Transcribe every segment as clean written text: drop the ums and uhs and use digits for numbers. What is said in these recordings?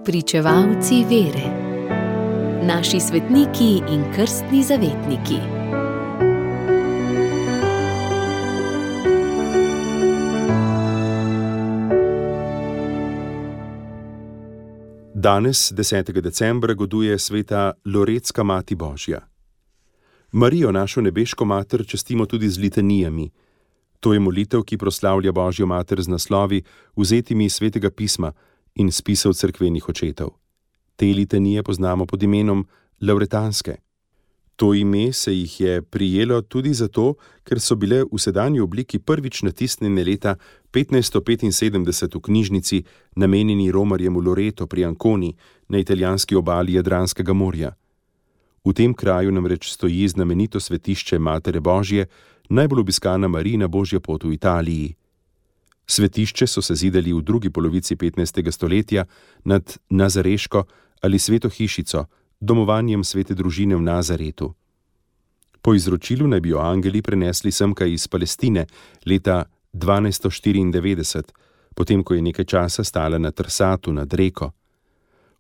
Spričevalci vere. Naši svetniki in krstni zavetniki. Danes, 10. decembra, goduje sveta Loretska Mati Božja. Marijo, našo nebeško mater, častimo tudi z litanijami. To je molitev, ki proslavlja Božjo mater z naslovi, vzetimi iz Svetega pisma in spisov cerkvenih očetov. Te litanije poznamo pod imenom lavretanske. To ime se jih je prijelo tudi zato, ker so bile v sedanji obliki prvič natisnjene leta 1575 v knjižnici, namenjeni romarjem v Loreto pri Anconi na italijanski obali Jadranskega morja. V tem kraju namreč stoji znamenito svetišče Matere Božje, najbolj obiskana Marijina Božja pot v Italiji. Svetišče so se zidali v drugi polovici 15. stoletja nad Nazareško ali Sveto hišico, domovanjem svete družine v Nazaretu. Po izročilu naj bi jo angeli prenesli semka iz Palestine leta 1294, potem ko je nekaj časa stala na Trsatu nad reko.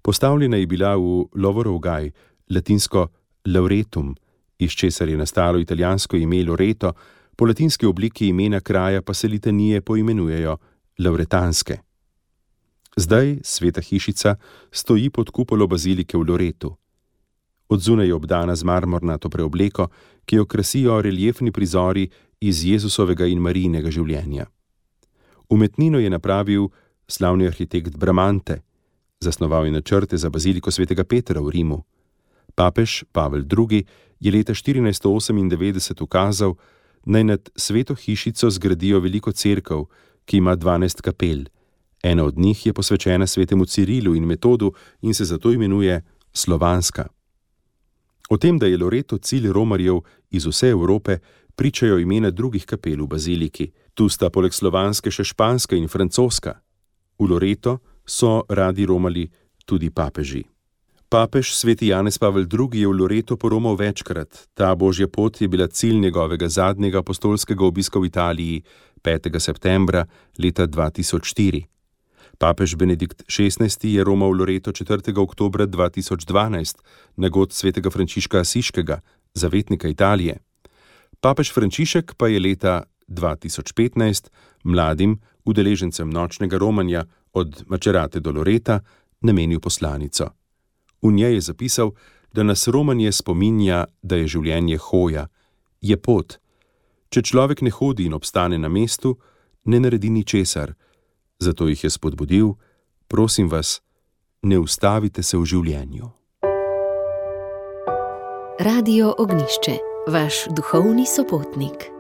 Postavljena je bila v Lovorov gaj, latinsko lauretum, iz česar je nastalo italijansko ime Loreto, po latinski obliki imena kraja pa se litanije poimenujejo lavretanske. Zdaj sveta hišica stoji pod kupolo bazilike v Loretu. Odzunaj je obdana z marmornato preobleko, ki jo krasijo reliefni prizori iz Jezusovega in Marijinega življenja. Umetnino je napravil slavni arhitekt Bramante, zasnoval je načrte za baziliko svetega Petra v Rimu. Papež Pavel II. Je leta 1498 ukazal, naj nad sveto hišico zgradijo veliko cerkev, ki ima 12 kapel. Ena od njih je posvečena svetemu Cirilu in Metodu in se zato imenuje Slovanska. O tem, da je Loreto cilj romarjev iz vse Evrope, pričajo imena drugih kapel v baziliki. Tu sta poleg slovanske še španska in francoska. V Loreto so radi romali tudi papeži. Papež sveti Janez Pavel II. Je v Loreto poromal večkrat. Ta Božja pot je bila cilj njegovega zadnjega apostolskega obiska v Italiji 5. septembra leta 2004. Papež Benedikt XVI. Je romal v Loreto 4. oktobra 2012 na god svetega Frančiška Asiškega, zavetnika Italije. Papež Frančišek pa je leta 2015 mladim udeležencem nočnega romanja od Macerate do Loreta namenil poslanico. V njej je zapisal, da nas romanje spominja, da je življenje hoja, je pot. Če človek ne hodi in obstane na mestu, ne naredi ničesar. Zato jih je spodbudil: prosim vas, ne ustavite se v življenju. Radio Ognjišče, vaš duhovni sopotnik.